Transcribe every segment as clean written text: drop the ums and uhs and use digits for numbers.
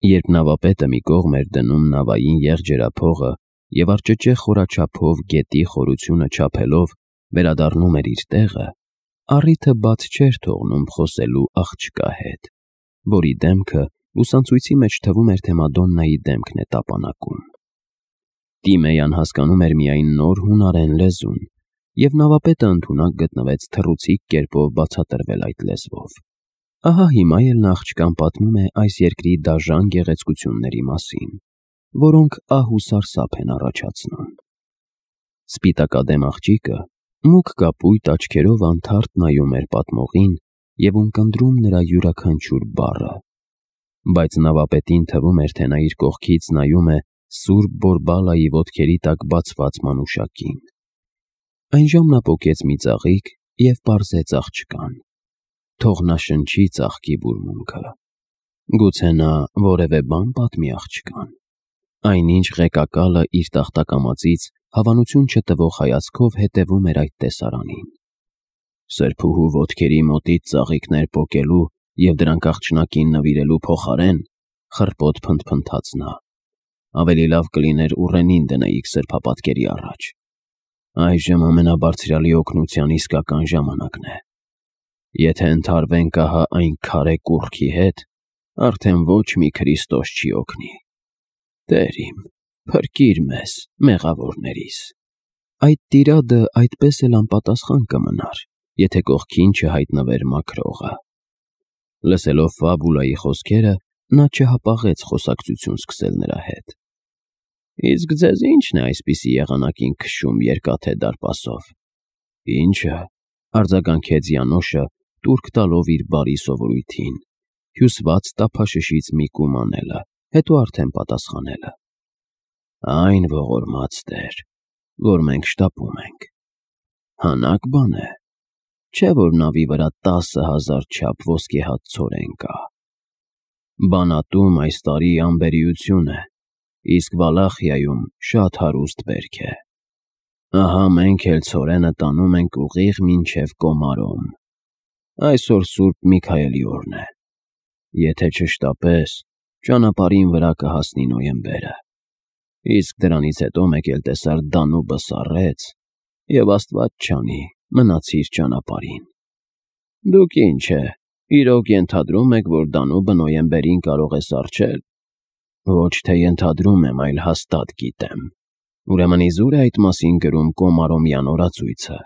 Երբ նավապետը մի կողմ էր դնում նավային եղջերափողը և արճճե խորաչափով գետի խորությունը չափելով վերադառնում էր իր տեղը, առիթը բաց չէր թողնում խոսելու աղջկա հետ, որի դեմքը լուսանցույցի մեջ թվում էր, թե Մադոննայի դեմքն է տապանակում։ Տիմեյան հասկանում էր միայն նոր հունարեն լեզուն, և նավապետը ընդունակ գտնվեց թռուցիկ կերպով բացատրվել այդ լեզվով։ Ահա հիմա էլ նա աղջկան պատմում է այս երկրի դաժան գեղեցկությունների մասին, որոնք ահ ու սարսափ են առաջացնում։ Սպիտակադեմ աղջիկը մուգ կապույտ աչքերով անթարթ նայում էր պատմողին և ունկնդրում նրա յուրաքանչյուր բառը, բայց նավապետին թվում էր, թե նա իր կողքից նայում է Սուրբ Բորբալայի ոտքերի տակ բացված մանուշակին։ Այնժամ նա պոկեց մի ծաղիկ և պարզեց աղջկան. թող նա շնչի ծաղկի բուրմունքը։ Գուցե նա որևէ բան պատմի աղջկան։ Այնինչ ղեկակալը իր տախտակամածից հավանություն չտվող հայացքով հետևում էր այդ տեսարանին։ Սրբուհու ոտքերի մոտից ծաղիկներ պոկելու և դրանք աղջնակին նվիրելու փոխարեն, խռպոտ փնթփնթաց նա, ավելի լավ կլիներ ուռենին դնեիք սրբապատկերի առաջ։ Այժմ ամենաբարձրյալի օգնության իսկական ժամանակն է։ Եթե ընդհարվենք ահա այն քարե կուռքի հետ, արդեն ոչ մի Քրիստոս չի օգնի։ Տեր իմ, փրկիր մեզ, մեղավորներիս։ Այդ տիրադը այդպես էլ անպատասխան կմնար, եթե կողքին չհայտնվեր մաքրողը։ Լսելով Ֆաբուլայի խոսքերը, նա չհապաղեց խոսակցություն սկսել նրա հետ։ Իսկ ձեզ ի՞նչն է այսպիսի եղանակին քշում երկաթե դարպասով։ Ի՞նչը, արձագանքեց Յանոշը, տուրք տալով իր բարի սովորույթին, հյուսված տափաշշից մի կում անելը, հետո արդեն պատասխանելը։ Այն ողորմած Տեր, որ մենք շտապում ենք։ Հանաք բան է, չէ՞ որ նավի վրա 10,000 չափ ոսկեհաց ցորեն կա։ Բանատում այս տարի անբերիություն է, իսկ Վալախիայում շատ հարուստ բերք է։ Ահա մենք էլ ցորենը տանում ենք ուղիղ մինչև Կոմարոմ։ Այսօր Սուրբ Միքայելի օրն է։ Եթե չշտապես, ճանապարհին վրա կհասնի նոյեմբերը։ Իսկ դրանից հետո մեկ էլ տեսար Դանուբը սառեց, և Աստված չանի, մնացիր ճանապարհին։ Դուք ինչ է, իրոք ենթադրում եք, որ Դանուբը նոյեմբերին կարող է սառչել։ Ոչ թե ենթադրում եմ, այլ հաստատ գիտեմ։ Ուրեմն իզուր է այդ մասին գրում Կոմարոմյան օրացույցը։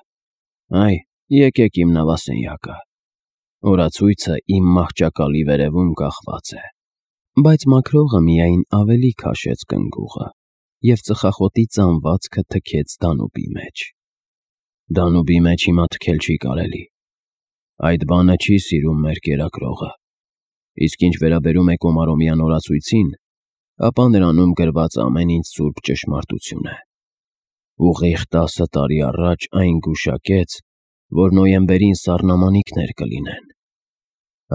Այ, եկեք իմ նավասենյակը։ Օրացույցը իմ մահճակալի վերևում կախված է։ Բայց մաքրողը միայն ավելի քաշեց կնգուղը և ծխախոտի ծանվածքը թքեց Դանուբի մեջ։ Դանուբի մեջ հիմա թքել չի կարելի։ Այդ բանը չի սիրում մեր կերակրողը։ Իսկ ինչ վերաբերում է Կոմարոմյան օրացույցին, ապա նրանում գրված ամեն ինչ սուրբ ճշմարտություն է։ Ուղիղ 10 տարի առաջ այն գուշակեց, որ նոյեմբերին սառնամանիքներ կլինեն։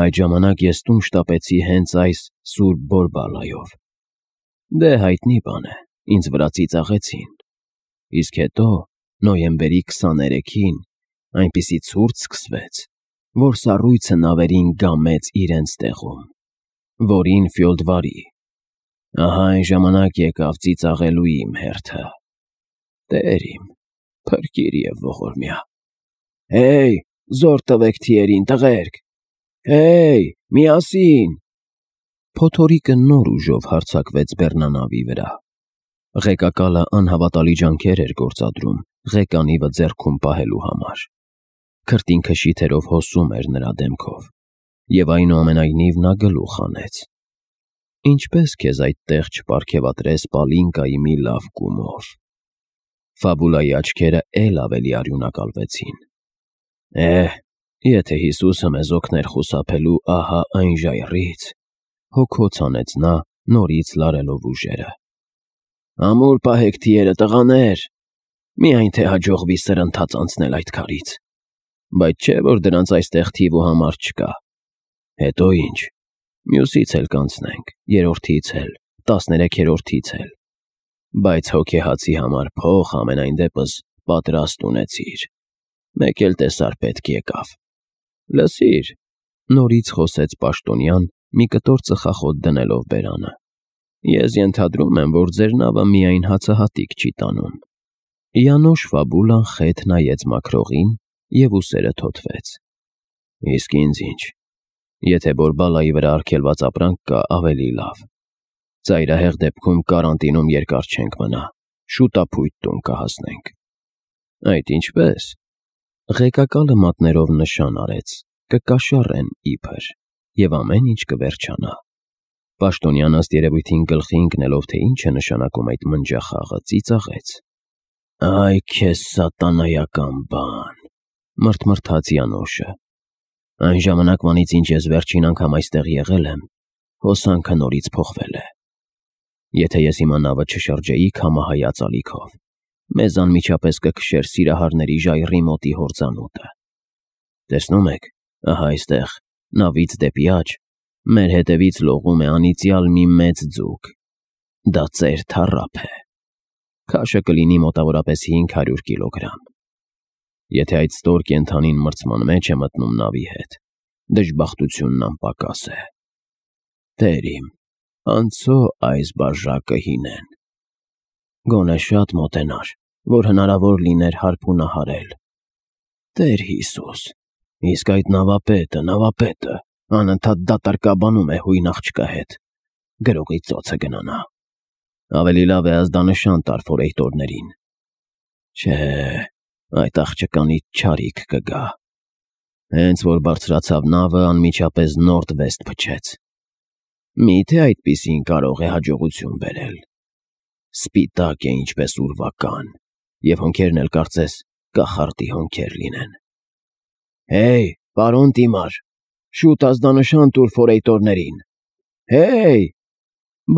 Այդ ժամանակ ես տուն շտապեցի հենց այս Սուրբ Բորբալայով։ Դե հայտնի բան է, ինձ վրա ծիծաղեցին։ Իսկ հետո, նոյեմբերի 23-ին, այնպիսի ցուրտ սկսվեց, որ սառույցը նավերին գամեց իրենց տեղում, որին Ֆյոլդվարի։ Ահա այն ժամանակ եկավ ծիծաղելու իմ հերթը։ Տեր իմ, փրկիր և ողորմյա։ Հեյ, զոռ տվեք թիերին, տղերք։ Հեյ, միասին։ Փոթորիկը նոր ուժով հարձակվեց բեռնանավի վրա։ Ղեկակալը անհավատալի ջանքեր էր գործադրում ղեկանիվը ձեռքում պահելու համար։ Քրտինքը շիթերով հոսում էր նրա դեմքով, և այնուամենայնիվ նա գլուխ հանեց։ Ինչպե՞ս քեզ այդտեղ չպարգևատրես Պալինկայի մի լավ կումով։ Ֆաբուլայի աչքերը էլ ավելի արյունակալվեցին։ Եթե Հիսուսը մեզ օգներ խուսափելու ահա այն ժայռից, հոգոց հանեց նա, նորից լարելով ուժերը։ Ամուր պահեք թիերը, տղաներ, միայն թե հաջողվի սրընթաց անցնել այդ քարից, բայց չէ՞ որ դրանց այստեղ թիվ ու համար չկա։ Հետո ինչ, մյուսից էլ կանցնենք, երրորդից էլ, 13-րդից էլ, բայց հոգեհացի համար փող համենայն դեպս պատրաստ ունեցիր։ Մեկ էլ տեսար պետք եկավ։ Լսիր, նորից խոսեց պաշտոնյան մի կտոր ծխախոտ դնելով բերանը։ Ես ենթադրում եմ, որ ձեր նավը միայն հացահատիկ չի տանում։ Յանոշ Ֆաբուլան խեթ նայեց մաքրողին և ուսերը թոթվեց։ Իսկ ինձ ինչ, եթե Բորբալայի վրա արգելված ապրանք կա, ավելի լավ։ Ծայրահեղ դեպքում կարանտինում երկար չենք մնա, շուտափույթ տուն կհասնենք։ Այդ ինչպես։ Ղեկակալը մատներով նշան արեց, կկաշառեն իբր, և ամեն ինչ կվերջանա։ Պաշտոնյան ըստ երևույթին գլխի ընկնելով, թե ինչ է նշանակում այդ մնջախաղը, ծիծաղեց։ Այ քեզ սատանայական բան, մռթմռթաց Յանոշը։ Այն ժամանակվանից, ինչ ես վերջին անգամ այստեղ եղել եմ, հոսանքը նորից փոխվել է։ Եթե ես հիմա նավը չշրջեի քամահայաց ալիքով, մեզ անմիջապես կքշեր Սիրահարների ժայռի մոտի հորձանուտը։ Տեսնում եք, ահա այստեղ, նավից դեպի աջ, մեր հետևից լողում է անիծյալ մի մեծ ձուկ։ Դա ծեր թառափ է։ Քաշը կլինի մոտավորապես 500 կիլոգրամ։ Եթե այդ ստոր կենդանին մրցման մեջ է մտնում նավի հետ, դժբախտությունն անպակաս է։ Տեր իմ, անցո այս բաժակը հինեն։ Գոնե շատ մոտենար, որ հնարավոր լիներ հարբունահարել։ Տեր Հիսուս, իսկ այդ նավապետը, անընդհատ դատարկաբանում է հույն աղջկա հետ։ Գրողի ծոցը գնանա։ Ավելի լավ է ազդանշան տար ֆորեյտորներին։ Չէ, այդ աղջկանից չարիք կգա։ Հենց որ բարձրացավ նավը, անմիջապես նորդ-վեստ փչեց։ Միթե այդպիսին կարող է հաջողություն բերել։ Սպիտակ է ինչպես ուրվական, և հոնքերն էլ կարծես կախարդի հոնքեր լինեն։ Հեյ, պարոն Տիմար, շուտ ազդանշան տուր ֆորեյտորներին։ Հեյ։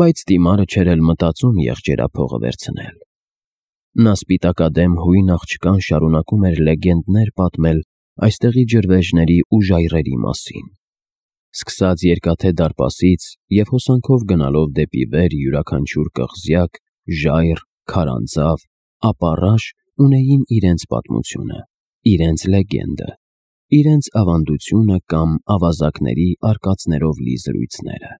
Բայց Տիմարը չէր էլ մտածում եղջերափողը վերցնել։ Նա սպիտակադեմ հույն աղջկան շարունակում էր լեգենդներ պատմել այստեղի ջրվեժների ու ժայռերի մասին։ Սկսած Երկաթե դարպասից և հոսանքով գնալով դեպի վեր յուրաքանչյուր կղզյակ, ժայռ, քարանձավ, ապառաշ ունեին իրենց պատմությունը, իրենց լեգենդը, իրենց ավանդությունը կամ ավազակների արկածներով լի զրույցները։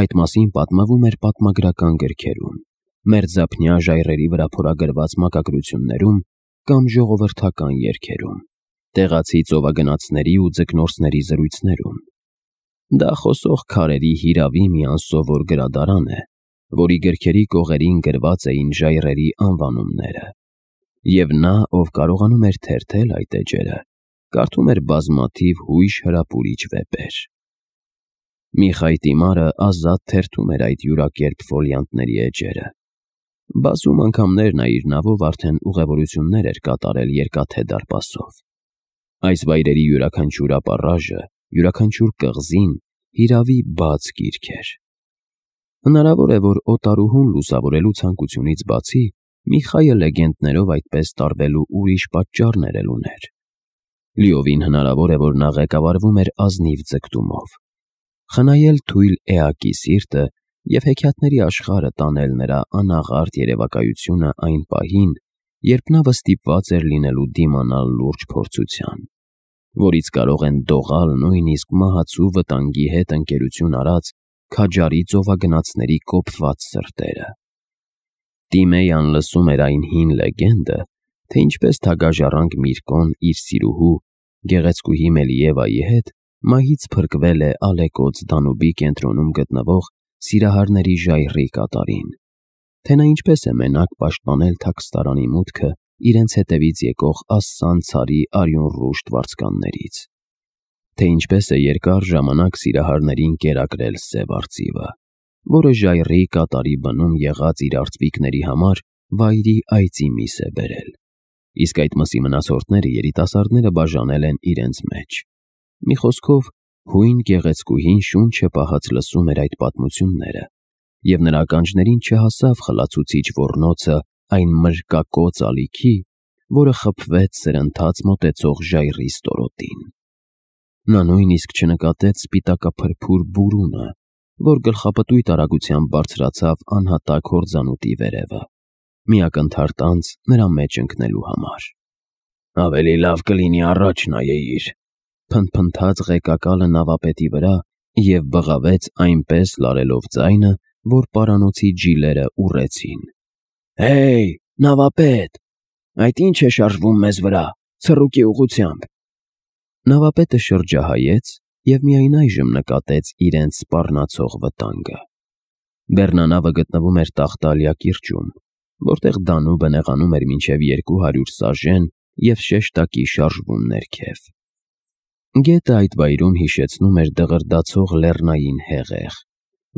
Այդ մասին պատմվում էր պատմագրական գրքերում, մերձափնյա ժայռերի վրա փորագրված մակագրություններում կամ ժողովրդական երգերում, տեղացի ծովագնացների ու ձկնորսների զրույցներում։ Դա խոսող քարերի հիրավի մի անսովոր գրադարան է, որի գրքերի կողերին գրված էին ժայռերի անվանումները։ Եվ նա, ով կարողանում էր թերթել այդ էջերը, կարդում էր բազմաթիվ հույժ հրապուրիչ վեպեր։ Միխայ Տիմարը ազատ թերթում էր այդ յուրակերպ ֆոլիանտների էջերը։ Բազում անգամներ նա իր նավով արդեն ուղևորություններ էր կատարել Երկաթե դարպասով։ Այս վայրերի յուրաքանչյուր ապառաժը, յուրաքանչյուր կղզին հիրավի բաց գիրք էր։ Հնարավոր է, որ օտարուհուն լուսավորելու ցանկությունից բացի Միխայը լեգենդներով այդպես տարվելու ուրիշ պատճառներ էլ ուներ։ Լիովին հնարավոր է, որ նա ղեկավարվում էր ազնիվ ձգտումով։ Խնայել թույլ էակի սիրտը և հեքիաթների աշխարհը տանել նրա անաղարտ երևակայությունը այն պահին, երբ նավը ստիպված էր լինելու դիմանալ լուրջ փորձության, որից կարող են դողալ նույնիսկ մահացու վտանգի հետ ընկերություն արած քաջարի ծովագնացների կոփված սրտերը։ Տիմեյան լսում էր այն հին լեգենդը, թե ինչպես թագաժառանգ Միրկոն իր սիրուհու, գեղեցկուհի Մելիևայի հետ մահից փրկվել է Ալեկոծ Դանուբի կենտրոնում գտնվող Սիրահարների ժայռի կատարին, թե նա ինչպես է մենակ պաշտպանել թաքստարանի մուտքը իրենց հետևից եկող ասսան ցարի արյունռուշտ վարձկաններից, թե ինչպես է երկար ժամանակ Սիրահարներին կերակրել Սև արծիվը, որը ժայռի կատարի բնում եղած իր արծվիկների համար վայրի այծի միս է բերել, իսկ այդ մսի մնացորդները երիտասարդները բաժանել են իրենց մեջ։ Մի խոսքով, հույն գեղեցկուհին շունչ է պահած լսում էր այդ պատմությունները, և նրա ականջներին չհասավ խլացուցիչ ոռնոցը այն մրրկակոծ ալիքի, որը խփվեց սրընթաց մոտեցող ժայռի ստորոտին։ Նա նույնիսկ չնկատեց սպիտակափրփուր բուրունը, որ գլխապտույտ արագությամբ բարձրացավ անհատակ հորձանուտի վերևը, մի ակնթարթ անց նրա մեջ ընկնելու համար։ Ավելի լավ կլինի առաջ նայեիր, փնթփնթաց ղեկակալը նավապետի վրա և բղավեց այնպես լարելով ձայնը, որ պարանոցի ջիլերը ուռեցին. «Հեյ, նավապետ, այդ ի՞նչ է շարժվում մեզ վրա, ցռուկի ուղղությամբ»։ Նավապետը շրջահայեց և միայն այժմ նկատեց իրենց սպառնացող վտանգը։ Բեռնանավը գտնվում էր Տախտալիա կիրճում, որտեղ Դանուբը նեղանում էր մինչև 200 սաժեն և շեշտակի շարժվում ներքև։ Գետը այդ վայրում հիշեցնում էր դղրդացող լեռնային հեղեղ,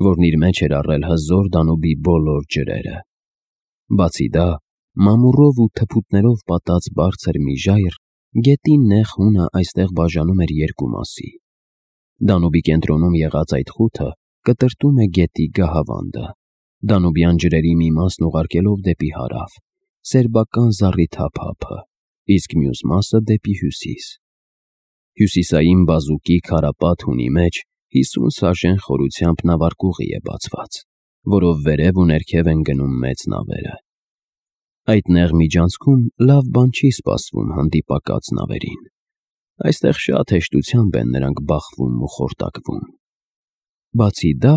որն իր մեջ էր առել հզոր Դանուբի բոլոր ջրերը։ Բացի դա, մամուռով ու թփուտներով պատած բարձր մի ժայռ գետի նեղ հունը այստեղ բաժանում էր երկու մասի։ Դանուբի կենտրոնում եղած այդ խութը կտրտում է գետի գահավանդը, Դանուբյան ջրերի մի մասն ուղարկելով դեպի հարավ, սերբական զառիթափափը, իսկ մյուս մասը դեպի հյուսիս։ Հյուսիսային բազուկի քարապատ հունի մեջ 50 սաժեն խորությամբ նավարկուղի է բացված, որով վերև ու ներքև են գնում մեծ նավերը։ Այդ նեղ միջանցքում լավ բան չի սպասվում հանդիպակաց նավերին։ Այստեղ շատ հեշտությամբ են նրանք բախվում ու խորտակվում։ Բացի դա,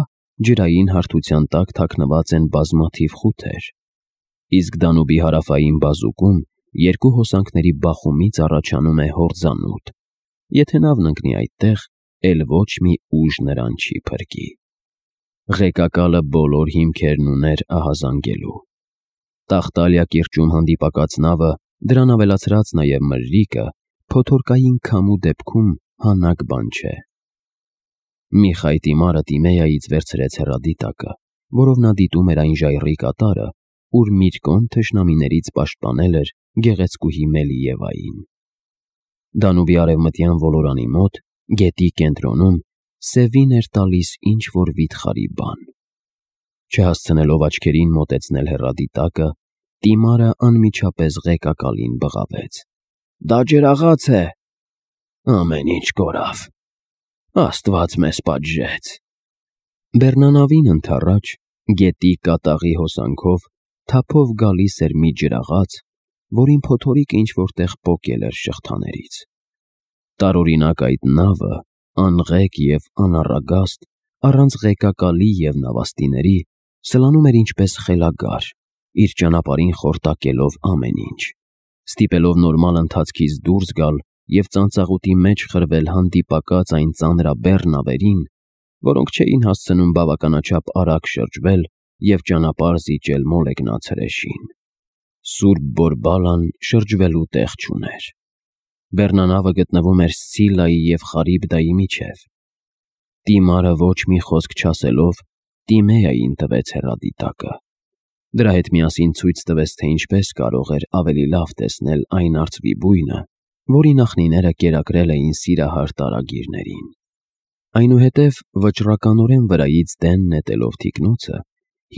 ջրային հարթության տակ թաքնված են բազմաթիվ խութեր, իսկ Դանուբի հարավային բազուկում երկու հոսանքների բախումից առաջանում է հորձանուտ։ Եթե նավն ընկնի այդտեղ, էլ ոչ մի ուժ նրան չի փրկի։ Ղեկակալը բոլոր հիմքերն ուներ ահազանգելու։ Տախտալիա կիրճում հանդիպակաց նավը, դրան ավելացրած նաև մրրիկը, փոթորկային քամու դեպքում հանակ բան չէ։ Միխայ Տիմարը Տիմեայից վերցրեց հեռադիտակը, որով նա դիտում էր այն ժայռի կատարը, ուր Միրկոն թշնամիներից պաշտպանել էր գեղեցկուհի Մելիևային։ Դանուբի արևմտյան ոլորանի մոտ, գետի կենտրոնում, սևին էր տալիս ինչ-որ վիթխարի բան։ Չհասցնելով աչքերին մոտեցնել հեռադիտակը, Տիմարը անմիջապես ղեկակալին բղավեց. «Դա ջրաղաց է»։ «Ամեն ինչ կորավ, Աստված մեզ պատժեց»։ Բեռնանավին ընդառաջ, գետի կատաղի հոսանքով, թափով գալիս էր մի ջրաղաց, որին փոթորիկը ինչ-որ տեղ պոկել էր շղթաներից։ Տարօրինակ այդ նավը, անղեկ և անառագաստ, առանց ղեկակալի և նավաստիների, սլանում էր ինչպես խելագար, իր ճանապարհին խորտակելով ամեն ինչ, ստիպելով նորմալ ընթացքից դուրս գալ և ծանծաղուտի մեջ խրվել հանդիպակաց այն ծանրաբեռ նավերին, որոնք չէին հասցնում բավականաչափ արագ շրջվել և ճանապարհ զիջել մոլեգնացրեշին։ Սուրբ Բորբալան շրջվելու տեղ չուներ։ Բեռնանավը գտնվում էր Սցիլայի և Խարիբդայի միջև։ Տիմարը ոչ մի խոսք չասելով Տիմեային տվեց հեռադիտակը։ Դրա հետ միասին ցույց տվեց, թե ինչպես կարող էր ավելի լավ տեսնել այն արծվի բույնը, որի նախնիները կերակրել էին սիրահար տարագիրներին։ Այնուհետև վճռականորեն վրայից դեն նետելով թիկնոցը,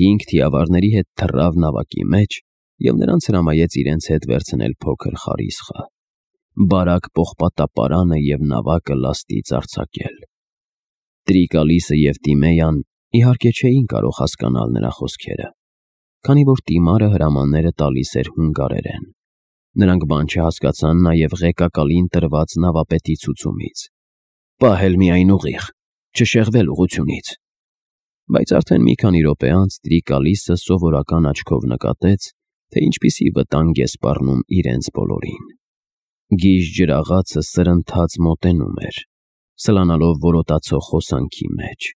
5 թիավարների հետ թռավ նավակի մեջ և նրանց հրամայեց իրենց հետ վերցնել փոքր խարիսխը, բարակ պողպատապարանը և նավակը լաստից արձակել։ Տրիկալիսը և Տիմեյան իհարկե չէին կարող հասկանալ նրա խոսքերը, քանի որ Տիմարը հրամանները տալիս էր հունգարերեն։ Նրանք բան չհասկացան նաև ղեկակալին տրված նավապետի ցուցումից. «Պահել միայն ուղիղ, չշեղվել ուղղությունից»։ Բայց արդեն մի քանի րոպե անց Տրիկալիսը սովորական աչքով նկատեց, թե ինչպիսի վտանգ է սպառնում իրենց բոլորին։ Գիժ ջրաղացը սրընթաց մոտենում էր, սլանալով որոտացող հոսանքի մեջ,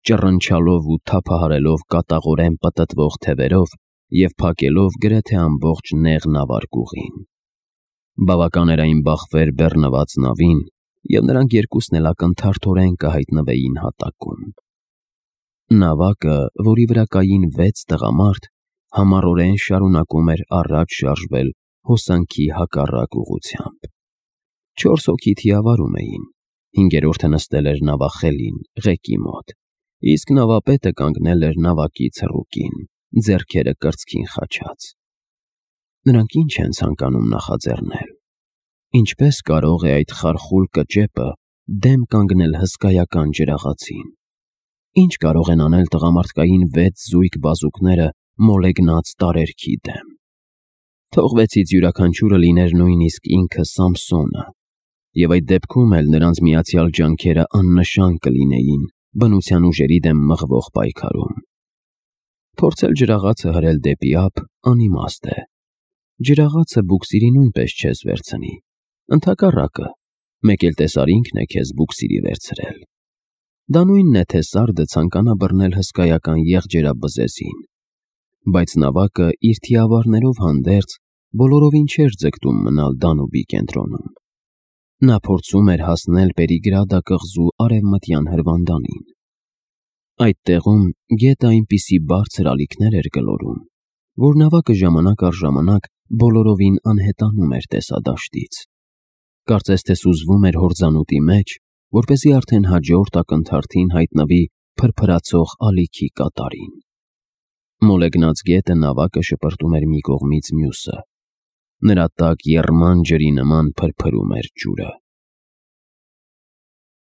ճռնչալով ու թափահարելով կատաղորեն պտտվող թևերով և փակելով գրեթե ամբողջ նեղ նավարկուղին։ Բավական էր այն բախվեր բեռնված նավին, և նրանք երկուսն էլ ակնթարթորեն կհայտնվեին հատակում։ Նավակը, որի վրա կային 6 տղամարդ, համառորեն շարունակում էր առաջ շարժվել հոսանքի հակառակ ուղղությամբ։ 4 հոգի թիավարում էին, 5-րդը նստել էր նավախելին, ղեկի մոտ, իսկ նավապետը կանգնել էր նավակի ցռուկին, ձեռքերը կրծքին խաչած։ Նրանք ի՞նչ են ցանկանում նախաձեռնել։ Ինչպե՞ս կարող է այդ խարխուլ կճեպը դեմ կանգնել հսկայական ջրաղացին։ Ի՞նչ կարող են անել տղամարդկային 6 զույգ բազուկները մոլեգնած տարերքի դեմ։ Թող 6-ից յուրաքանչյուրը լիներ նույնիսկ ինքը Սամսոնը, և այդ դեպքում էլ նրանց միացյալ ջանքերը աննշան կլինեին բնության ուժերի դեմ մղվող պայքարում։ Փորձել ջրաղացը հրել դեպի ափ անիմաստ է։ Ջրաղացը բուքսիրի նույնպես չես վերցնի։ Ընդհակառակը, մեկ էլ տեսար ինքն է քեզ բուքսիրի վերցրել։ Դա նույնն է, թե սարդը ցանկանա բռնել հսկայական եղջերաբզեզին։ Բայց նավակը իր թիավարներով հանդերձ բոլորովին չէր ձգտում մնալ Դանուբի կենտրոնում։ Նա փորձում էր հասնել Պերիգրադա կղզու արևմտյան հրվանդանին։ Այդ տեղում գետը այնպիսի բարձր ալիքներ էր գլորում, որ նավակը ժամանակ առ ժամանակ բոլորովին անհետանում էր տեսադաշտից։ Կարծես թե սուզվում էր հորձանուտի մեջ, որպեսզի արդեն հաջորդ ակնթարթին հայտնվի փրփրացող ալիքի կատարին։ Մոլեգնած գետը նավակը շպրտում էր մի կողմից մյուսը։ Նրա տակ եռման ջրի նման փրփրում էր ջուրը։